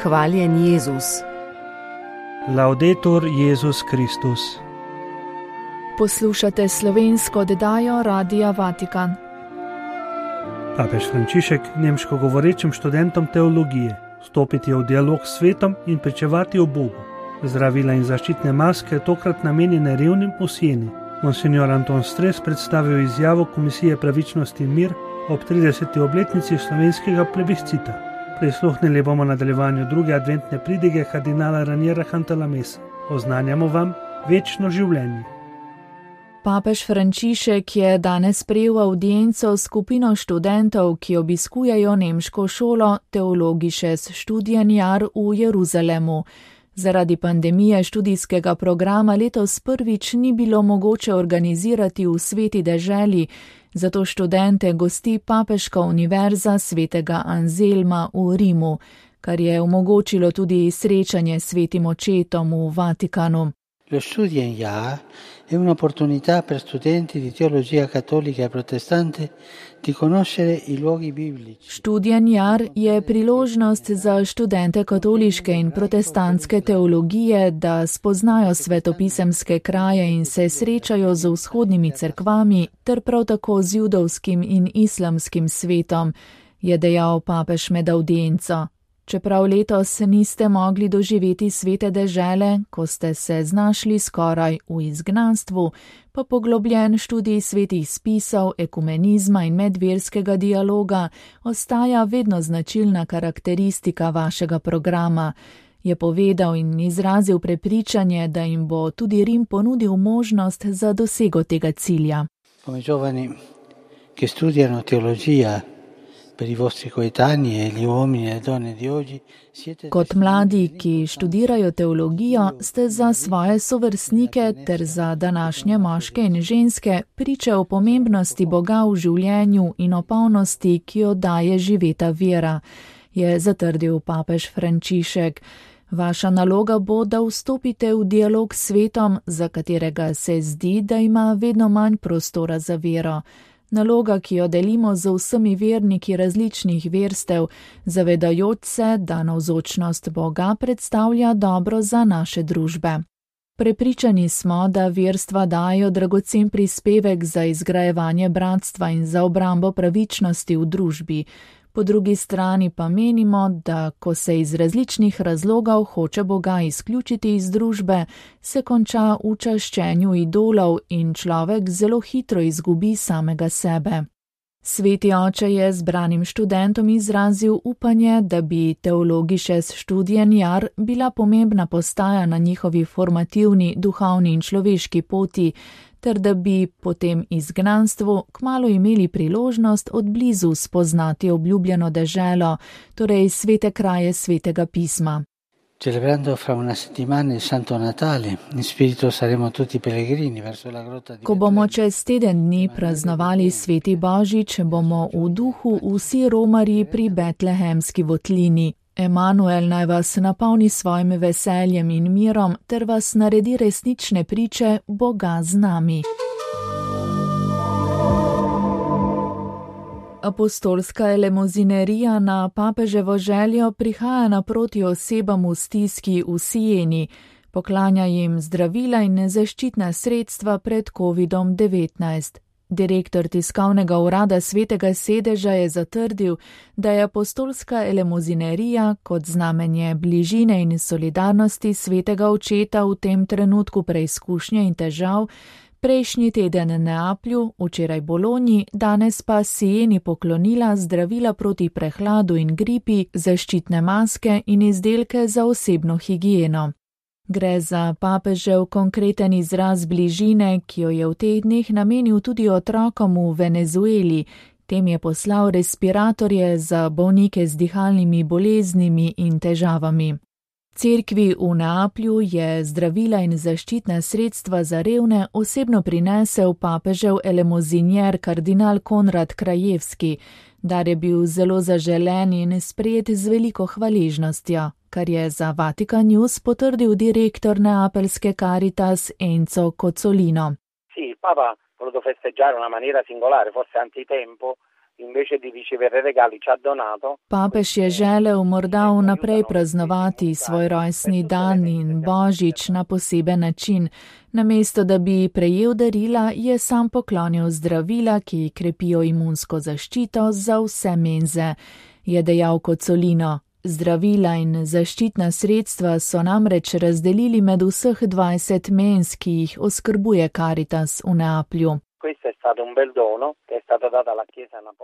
Hvaljen Jezus. Laudetur Jezus Kristus. Poslušate slovensko oddajo Radia Vatikan. Papež Frančišek nemško govorečim študentom teologije stopiti v dialog s svetom in pričevati o Bogu. Zdravila in zaščitne maske tokrat namenjene revnim v Sieni. Monsignor Anton Stres predstavil izjavo Komisije pravičnosti in mir ob 30. obletnici slovenskega plebiscita. Prisluhnili bomo nadaljevanju druge adventne pridige kardinala Raniera Cantalamessa. Oznanjamo vam večno življenje. Papež Frančišek je danes sprejel avdienco skupino študentov, ki obiskujejo nemško šolo Theologisches Studienjahr v Jeruzalemu. Zaradi pandemije študijskega programa letos prvič ni bilo mogoče organizirati v Sveti deželi, zato študente gosti Papeška univerza svetega Anselma v Rimu, kar je omogočilo tudi srečanje s svetim očetom v Vatikanu. Lo Studienjahr è un'opportunità per studenti di teologia cattolica e protestante di conoscere i luoghi biblici. Studienjahr je priložnost za študente katoliške in protestantske teologije, da spoznajo svetopisemske kraje in se srečajo z vzhodnimi cerkvami ter prav tako z judovskim in islamskim svetom, je dejal papež med avdienco. Čeprav letos niste mogli doživeti svete dežele, ko ste se znašli skoraj v izgnanstvu, pa poglobljen študij svetih spisov, ekumenizma in medverskega dialoga ostaja vedno značilna karakteristika vašega programa, je povedal in izrazil prepričanje, da jim bo tudi Rim ponudil možnost za dosego tega cilja. Come giovani che studiano teologia, per i vostri coetanei e gli uomini e donne di oggi siete. Kot mladi, ki študirajo teologijo, ste za svoje sovrstnike ter za današnje moške in ženske priče o pomembnosti Boga v življenju in o polnosti, ki jo daje živeta vera, je zatrdil papež Frančišek. Vaša naloga bo, da vstopite v dialog s svetom, za katerega se zdi, da ima vedno manj prostora za vero. Naloga, ki jo delimo z vsemi verniki različnih verstev, zavedajoč se, da navzočnost Boga predstavlja dobro za naše družbe. Prepričani smo, da verstva dajo dragocen prispevek za izgrajevanje bratstva in za obrambo pravičnosti v družbi. Po drugi strani pa menimo, da ko se iz različnih razlogov hoče Boga izključiti iz družbe, se konča v čaščenju idolov in človek zelo hitro izgubi samega sebe. Sveti oče je zbranim študentom izrazil upanje, da bi Theologisches Studienjahr bila pomembna postaja na njihovi formativni, duhovni in človeški poti, ter da bi po tem izgnanstvu kmalu imeli priložnost od blizu spoznati obljubljeno deželo, torej svete kraje svetega pisma. Celebrando fra una settimana il Santo Natale, in spirito saremo tutti pellegrini verso la grotta di. Ko bomo čez teden dni praznovali sveti Božič, bomo v duhu vsi romarji pri Betlehemski votlini. Emanuel naj vas napolni svojim veseljem in mirom ter vas naredi resnične priče Boga z nami. Apostolska elemozinerija na papeževo željo prihaja naproti osebam v stiski v Sieni, poklanja jim zdravila in zaščitna sredstva pred COVID-19. Direktor tiskovnega urada Svetega sedeža je zatrdil, da je apostolska elemozinerija kot znamenje bližine in solidarnosti svetega očeta v tem trenutku preizkušnje in težav prejšnji teden Neaplju, včeraj Bologni, danes pa Sieni poklonila zdravila proti prehladu in gripi, zaščitne maske in izdelke za osebno higieno. Gre za papežev konkreten izraz bližine, ki jo je v teh dneh namenil tudi otrokom v Venezueli. Tem je poslal respiratorje za bolnike z dihalnimi boleznimi in težavami. Cerkvi v Neaplju je zdravila in zaščitna sredstva za revne osebno prinesel papežev elemozinjer kardinal Konrad Krajevski. Dar je bil zelo zaželen in sprejet z veliko hvaležnostjo, kar je za Vatikan News potrdil direktor neapeljske Caritas Enzo Cozzolino. Sì, il Papa ha voluto festeggiare in una maniera singolare, forse antitempo, Papež je želel morda vnaprej praznovati svoj rojstni dan in božič na poseben način. Namesto da bi prejel darila, je sam poklonil zdravila, ki krepijo imunsko zaščito za vse menze, je dejal Cozzolino. Zdravila in zaščitna sredstva so namreč razdelili med vseh 20 menz, ki jih oskrbuje Caritas v Neaplju.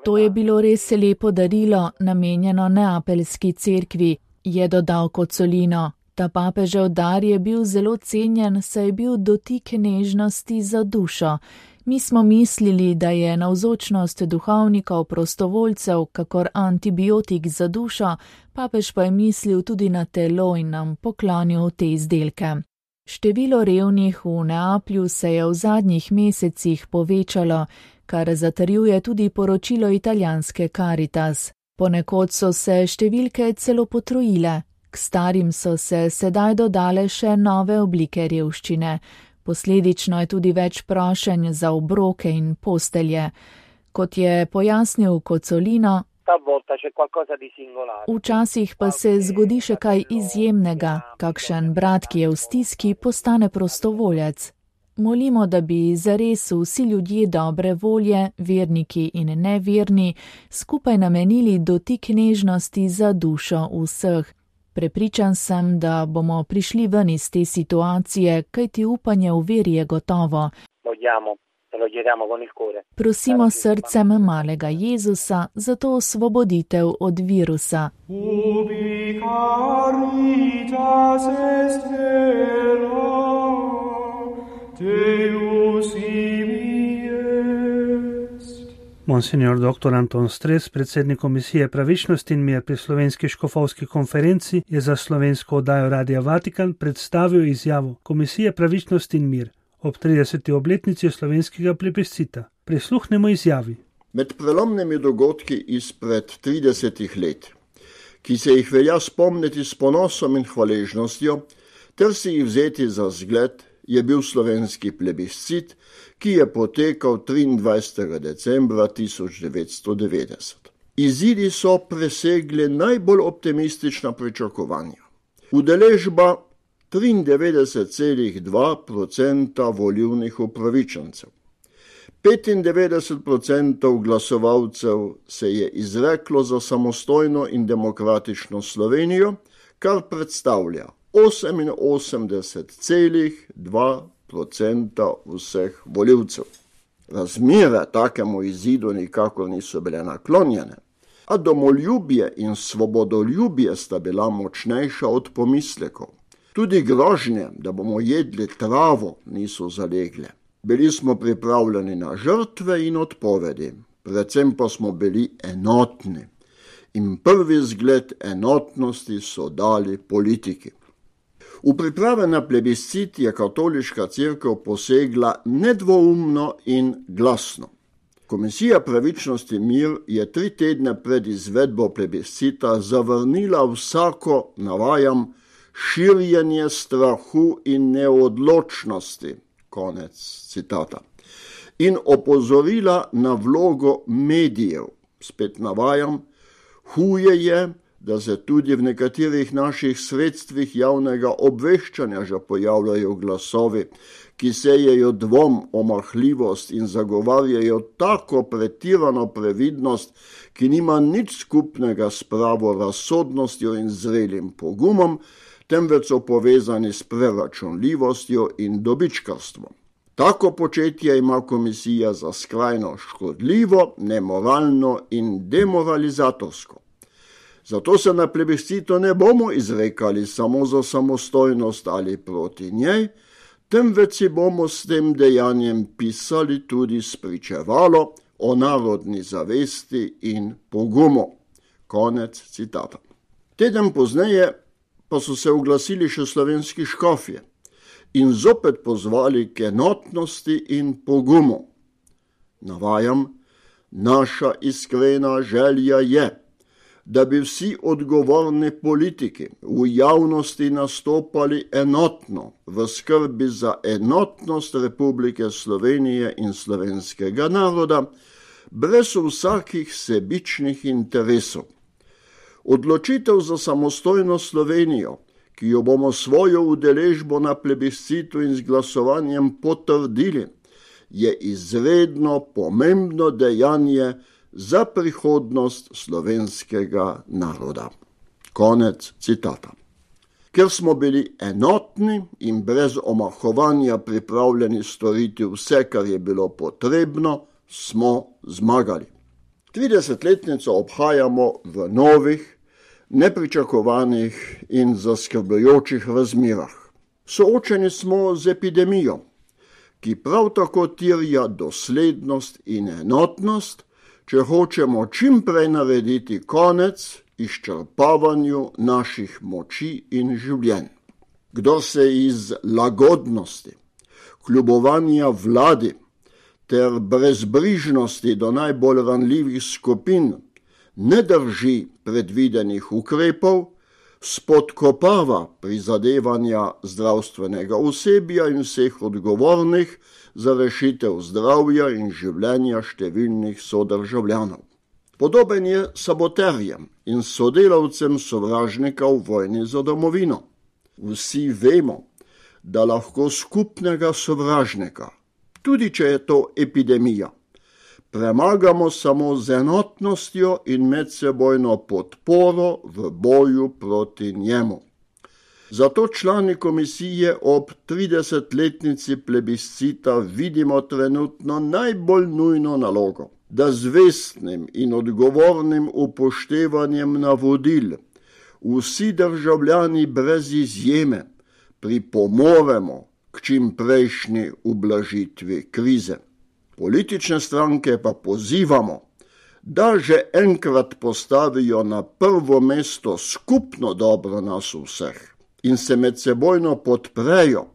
To je bilo res lepo darilo, namenjeno Neapeljski cerkvi, je dodal Cozzolino. Ta papežev dar je bil zelo cenjen, saj je bil dotik nežnosti za dušo. Mi smo mislili, da je navzočnost duhovnikov prostovoljcev kakor antibiotik za dušo, papež pa je mislil tudi na telo in nam poklonil te izdelke. Število revnih v Neaplju se je v zadnjih mesecih povečalo, kar zatrjuje tudi poročilo italijanske Caritas. Ponekod so se številke celo potrojile, k starim so se sedaj dodale še nove oblike revščine. Posledično je tudi več prošenj za obroke in postelje. Kot je pojasnil Cozzolino, včasih pa se zgodi še kaj izjemnega, kakšen brat, ki je v stiski, postane prostovoljec. Molimo, da bi zares vsi ljudje dobre volje, verniki in neverni, skupaj namenili dotik nežnosti za dušo vseh. Prepričan sem, da bomo prišli ven iz te situacije, kajti upanje v veri je gotovo. Prosimo srcem malega Jezusa za to osvoboditev od virusa. Ubi caritas est vera, Deus ibi est. Monsignor dr. Anton Stres, predsednik Komisije Pravičnost in mir pri Slovenski škofovski konferenci, je za slovensko oddajo Radia Vatikan predstavil izjavo Komisije Pravičnost in mir ob 30. obletnici slovenskega plebiscita. Prisluhnemo izjavi. Med prelomnimi dogodki izpred 30 let, ki se jih velja spomniti s ponosom in hvaležnostjo, ter si jih vzeti za zgled, je bil slovenski plebiscit, ki je potekal 23. decembra 1990. Izidi so presegli najbolj optimistična pričakovanja. Udeležba 93,2% volilnih upravičencev. 95% glasovalcev se je izreklo za samostojno in demokratično Slovenijo, kar predstavlja 88,2% vseh volivcev. Razmere takemu izidu nikakor niso bile naklonjene, a domoljubje in svobodoljubje sta bila močnejša od pomislekov. Tudi grožnje, da bomo jedli travo, niso zalegle. Bili smo pripravljeni na žrtve in odpovedi, predvsem pa smo bili enotni. In prvi zgled enotnosti so dali politiki. V priprave na plebiscit je katoliška cerkev posegla nedvoumno in glasno. Komisija Pravičnost in mir je 3 tedne pred izvedbo plebiscita zavrnila vsako, navajam, širjenje strahu in neodločnosti, konec citata, in opozorila na vlogo medijev, spet navajam, huje je, da se tudi v nekaterih naših sredstvih javnega obveščanja že pojavljajo glasovi, ki sejejo dvom, omahljivost in zagovarjajo tako pretirano previdnost, ki nima nič skupnega s pravo razsodnostjo in zrelim pogumom, temveč so povezani s preračunljivostjo in dobičkarstvom. Tako početje ima komisija za skrajno škodljivo, nemoralno in demoralizatorsko. Zato se na plebiscitu ne bomo izrekali samo za samostojnost ali proti njej, temveč si bomo s tem dejanjem pisali tudi spričevalo o narodni zavesti in pogumu. Konec citata. Teden pozneje pa so se oglasili še slovenski škofje in zopet pozvali k enotnosti in pogumu. Navajam, naša iskrena želja je, da bi vsi odgovorni politiki v javnosti nastopali enotno v skrbi za enotnost Republike Slovenije in slovenskega naroda, brez vsakih sebičnih interesov. Odločitev za samostojno Slovenijo, ki jo bomo svojo udeležbo na plebiscitu in z glasovanjem potrdili, je izredno pomembno dejanje za prihodnost slovenskega naroda. Konec citata. Ker smo bili enotni in brez omahovanja pripravljeni storiti vse, kar je bilo potrebno, smo zmagali. 30-letnico obhajamo v novih, nepričakovanih in zaskrbljujočih razmerah. Soočeni smo z epidemijo, ki prav tako terja doslednost in enotnost, če hočemo čim prej narediti konec izčrpavanju naših moči in življenj. Kdor se iz lagodnosti, kljubovanja vladi ter brezbrižnosti do najbolj ranljivih skupin ne drži predvidenih ukrepov, spodkopava prizadevanja zdravstvenega osebja in vseh odgovornih za rešitev zdravja in življenja številnih sodržavljanov. Podoben je saboterjem in sodelavcem sovražnika v vojni za domovino. Vsi vemo, da lahko skupnega sovražnika, tudi če je to epidemija, premagamo samo z enotnostjo in medsebojno podporo v boju proti njemu. Zato člani komisije ob 30-letnici plebiscita vidimo trenutno najbolj nujno nalogo, da z vestnim in odgovornim upoštevanjem navodil vsi državljani brez izjeme pripomoremo k čim prejšnji ublažitvi krize. Politične stranke pa pozivamo, da že enkrat postavijo na prvo mesto skupno dobro nas vseh in se medsebojno podprejo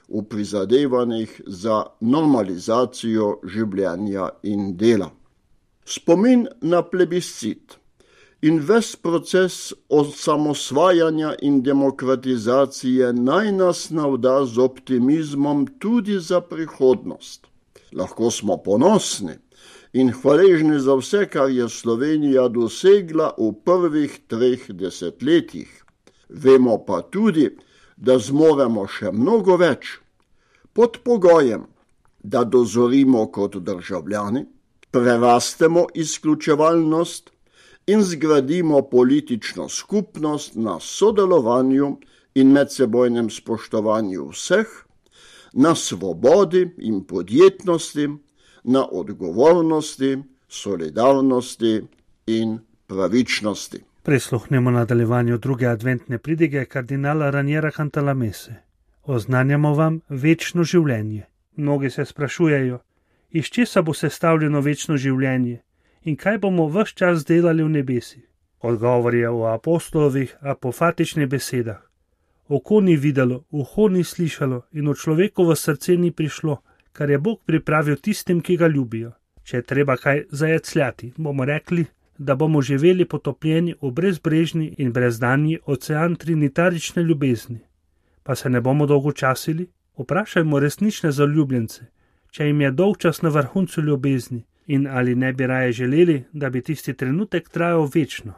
v prizadevanjih za normalizacijo življenja in dela. Spomin na plebiscit in ves proces osamosvajanja in demokratizacije naj nas navda z optimizmom tudi za prihodnost. Lahko smo ponosni in hvaležni za vse, kar je Slovenija dosegla v prvih 3 desetletjih. Vemo pa tudi, da zmoremo še mnogo več, pod pogojem, da dozorimo kot državljani, prerastemo izključevalnost in zgradimo politično skupnost na sodelovanju in medsebojnem spoštovanju vseh, na svobodi in podjetnosti, na odgovornosti, solidarnosti in pravičnosti. Prisluhnemo nadaljevanju druge adventne pridige kardinala Raniera Cantalamesse. Oznanjamo vam večno življenje. Mnogi se sprašujejo, iz česa bo sestavljeno večno življenje in kaj bomo ves čas delali v nebesih. Odgovor je v apostolovih apofatičnih besedah. Oko ni videlo, uho ni slišalo in v človekovo srce ni prišlo, kar je Bog pripravil tistim, ki ga ljubijo. Če je treba kaj zajecljati, bomo rekli, da bomo živeli potopljeni v brezbrežni in brezdanji ocean trinitarične ljubezni. Pa se ne bomo dolgočasili? Vprašajmo resnične zaljubljence, če jim je dolgčas na vrhuncu ljubezni in ali ne bi raje želeli, da bi tisti trenutek trajal večno.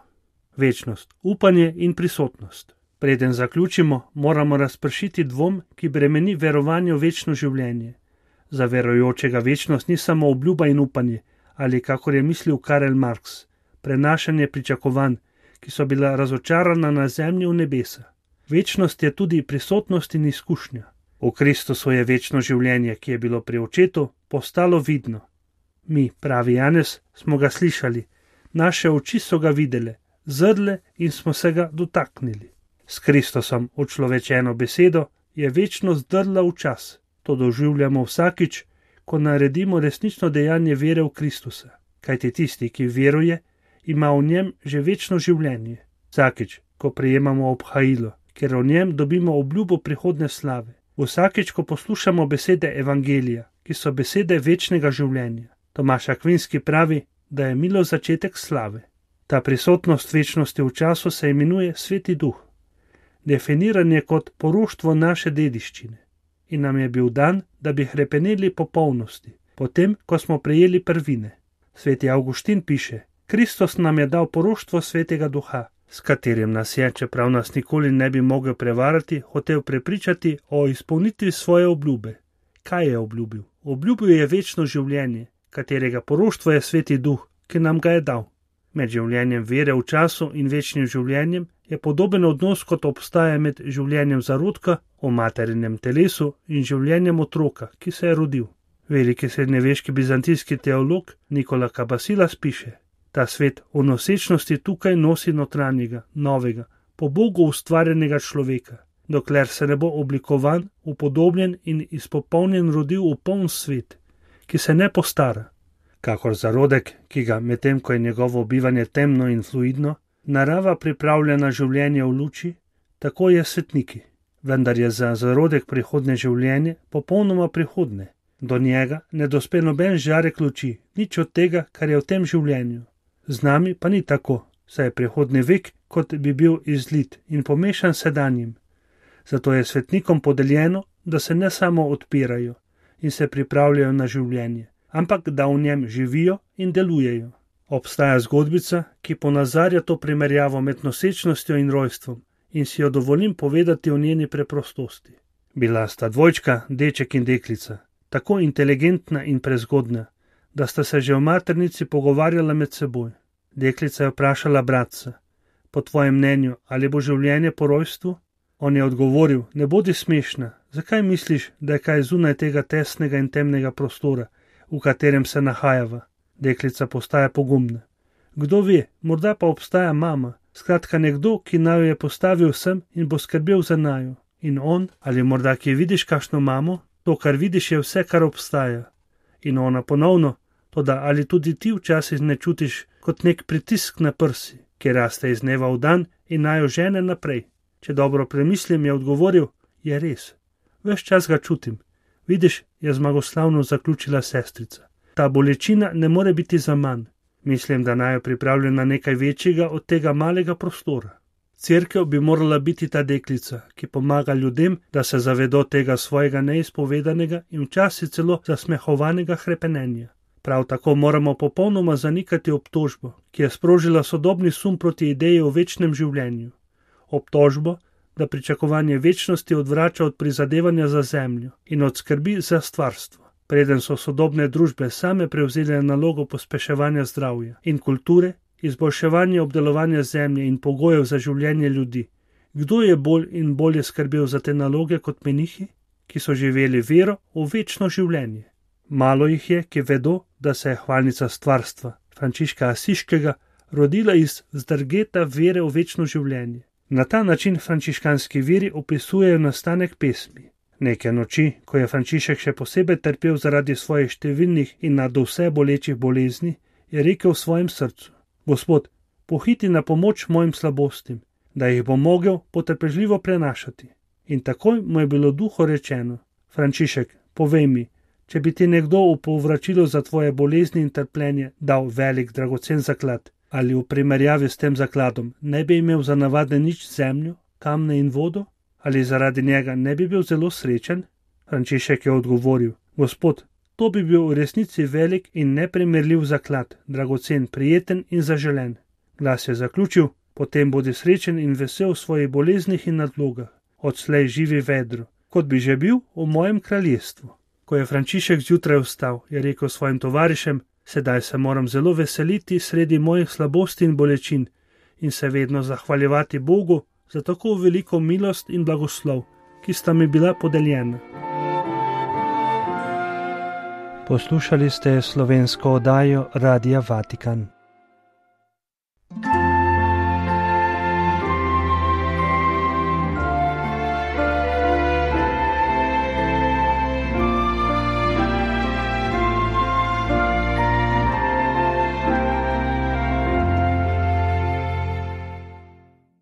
Večnost, upanje in prisotnost. Preden zaključimo, moramo razpršiti dvom, ki bremeni verovanje v večno življenje. Za verujočega večnost ni samo obljuba in upanje, ali kakor je mislil Karl Marx, prenašanje pričakovanj, ki so bila razočarana na zemlji v nebesa. Večnost je tudi prisotnost in izkušnja. V Kristusu je večno življenje, ki je bilo pri očetu, postalo vidno. Mi, pravi Janez, smo ga slišali, naše oči so ga videle, zrle in smo se ga dotaknili. S Kristusom, učlovečeno besedo, je večnost drla v čas. To doživljamo vsakič, ko naredimo resnično dejanje vere v Kristusa. Kajti tisti, ki veruje, ima v njem že večno življenje. Vsakič, ko prejemamo obhajilo, ker v njem dobimo obljubo prihodne slave. Vsakič, ko poslušamo besede evangelija, ki so besede večnega življenja. Tomaž Akvinski pravi, da je milost začetek slave. Ta prisotnost večnosti v času se imenuje Sveti Duh. Definiran je kot poroštvo naše dediščine. In nam je bil dan, da bi hrepeneli po polnosti, potem, ko smo prejeli prvine. Sveti Avguštin piše: Kristus nam je dal poroštvo Svetega Duha, s katerim nas je, čeprav nas nikoli ne bi mogel prevarati, hotel prepričati o izpolnitvi svoje obljube. Kaj je obljubil? Obljubil je večno življenje, katerega poroštvo je Sveti Duh, ki nam ga je dal. Med življenjem vere v času in večnim življenjem je podoben odnos, kot obstaja med življenjem zarodka v materinem telesu in življenjem otroka, ki se je rodil. Veliki srednjeveški bizantijski teolog Nikola Kabasilas piše: Ta svet v nosečnosti tukaj nosi notranjega, novega, po Bogu ustvarjenega človeka, dokler se ne bo oblikovan, upodobljen in izpopolnjen rodil v poln svet, ki se ne postara. Kakor zarodek, ki ga, medtem ko je njegovo bivanje temno in fluidno, narava pripravlja na življenje v luči, tako je svetniki. Vendar je za zarodek prihodne življenje popolnoma prihodne. Do njega ne dospe noben žarek luči, nič od tega, kar je v tem življenju. Z nami pa ni tako, saj je prihodni vek, kot bi bil izlit in pomešan sedanjim. Zato je svetnikom podeljeno, da se ne samo odpirajo in se pripravljajo na življenje, ampak da v njem živijo in delujejo. Obstaja zgodbica, ki ponazarja to primerjavo med nosečnostjo in rojstvom in si jo dovolim povedati o njeni preprostosti. Bila sta dvojčka, deček in deklica, tako inteligentna in prezgodna, da sta se že v maternici pogovarjala med seboj. Deklica je vprašala bratca: Po tvojem mnenju, ali bo življenje po rojstvu? On je odgovoril: Ne bodi smešna, zakaj misliš, da je kaj zunaj tega tesnega in temnega prostora, v katerem se nahajava? Deklica postaja pogumna. Kdo ve, morda pa obstaja mama, skratka nekdo, ki naju je postavil sem in bo skrbel za naju. In on: Ali morda kje vidiš kakšno mamo? To, kar vidiš, je vse, kar obstaja. In ona ponovno: Toda ali tudi ti včasih ne čutiš kot nek pritisk na prsi, ki raste iz dneva v dan in naju žene naprej? Če dobro premislim, je odgovoril: Je res. Ves čas ga čutim. Vidiš, je zmagoslavno zaključila sestrica. Ta bolečina ne more biti za manj. Mislim, da naju pripravlja na nekaj večjega od tega malega prostora. Cerkev bi morala biti ta deklica, ki pomaga ljudem, da se zavedo tega svojega neizpovedanega in včasih celo zasmehovanega hrepenenja. Prav tako moramo popolnoma zanikati obtožbo, ki je sprožila sodobni sum proti ideji o večnem življenju. Obtožbo, da pričakovanje večnosti odvrača od prizadevanja za zemljo in od skrbi za stvarstvo. Preden so sodobne družbe same prevzele nalogo pospeševanja zdravja in kulture, izboljševanja obdelovanja zemlje in pogojev za življenje ljudi. Kdo je bolj in bolje skrbel za te naloge kot menihi, ki so živeli vero v večno življenje? Malo jih je, ki vedo, da se je hvalnica stvarstva Frančiška Asiškega rodila iz zdrgeta vere v večno življenje. Na ta način frančiškanski viri opisujejo nastanek pesmi. Neke noči, ko je Frančišek še posebej trpel zaradi svojih številnih in nadvse bolečih bolezni, je rekel v svojem srcu: Gospod, pohiti na pomoč mojim slabostim, da jih bom mogel potrpežljivo prenašati. In takoj mu je bilo duho rečeno: Frančišek, povej mi, če bi ti nekdo v povračilo za tvoje bolezni in trpljenje dal velik dragocen zaklad, ali v primerjavi s tem zakladom ne bi imel za navade nič zemljo, kamne in vodo? Ali zaradi njega ne bi bil zelo srečen? Frančišek je odgovoril: Gospod, to bi bil v resnici velik in neprimerljiv zaklad, dragocen, prijeten in zaželen. Glas je zaključil: Potem bodi srečen in vesel v svojih boleznih in nadlogah. Odslej živi vedro, kot bi že bil v mojem kraljestvu. Ko je Frančišek zjutraj vstal, je rekel svojim tovarišem: Sedaj se moram zelo veseliti sredi mojih slabosti in bolečin in se vedno zahvaljevati Bogu za tako veliko milost in blagoslov, ki sta mi bila podeljena. Poslušali ste slovensko oddajo Radia Vatikan.